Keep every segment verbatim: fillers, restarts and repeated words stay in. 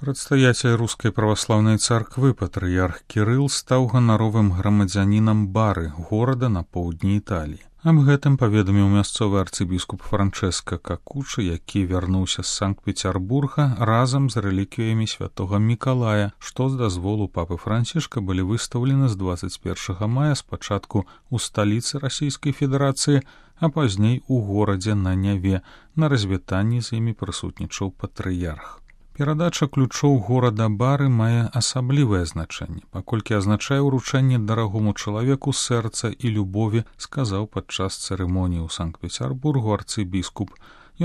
Прадстаяцель рускай праваслаўнай царквы патрыярх Кірыл стаў ганаровым грамадзянінам Бары, горада на поўдні Італіі. Аб гэтым паведаміў мясцовы арцыбіскуп Франчэска Какучы, які вярнуўся з Санкт-Пецярбурга разам з рэліквіямі святога Мікалая, што з дазволу папы Францішка былі выстаўлены з дваццаць першага мая спачатку ў сталіцы Расійскай Федэрацыі, а пазней у горадзе на Няве. На развітанні з імі прысутнічаў патрыярх. Перадача ключоў горада Бары мае асаблівае значэнне, паколькі азначае ўручэнне дарагому чалавеку сэрца і любові, сказаў падчас цырымоніі ў Санкт-Пецярбургу арцыбіскуп.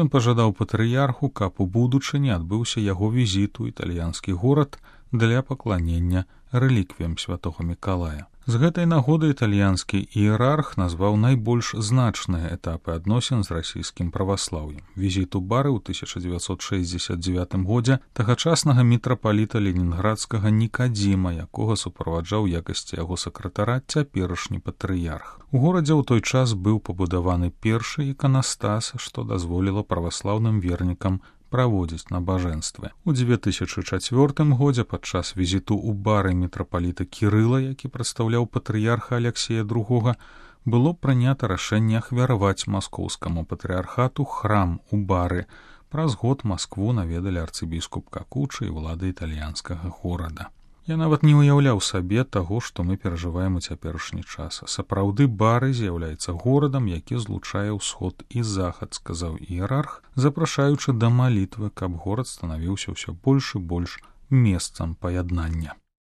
Ён пажадаў патрыярху, каб у будучыні адбыўся яго візіт у італьянскі горад для пакланення рэліквіям святога Мікалая. З гэтай нагоды італьянскі іерарх назваў найбольш значныя этапы адносін з расійскім праваслаўем. Візіт у Бары ў тысяча дзевяцьсот шэсцьдзесят дзевятым годзе тагачаснага мітрапаліта ленінградскага Нікадзіма, якога суправаджаў якасці яго сакратара цяперашні патрыярх. У горадзе ў той час быў пабудаваны першы іканастас, што дазволіла праваслаўным вернікам праводзіць набажэнствы. У дзве тысячы чацвёртым годзе падчас візіту ў Бары мітрапаліта Кірыла, які прадстаўляў патрыярха Аляксея другога, было прынята рашэнне ахвяраваць маскоўскаму патрыярхату храм у Бары. Праз год Маскву наведалі арцыбіскуп Какучы і ўлады італьянскага горада. Я нават не ўяўляў сабе таго, што мы перажываем у цяперашні час. Сапраўды Бары з'яўляецца горадам, які злучае ўсход і захад, сказаў іерарх, запрашаючы да малітвы, каб горад станавіўся ўсё больш і больш месцам паяднання.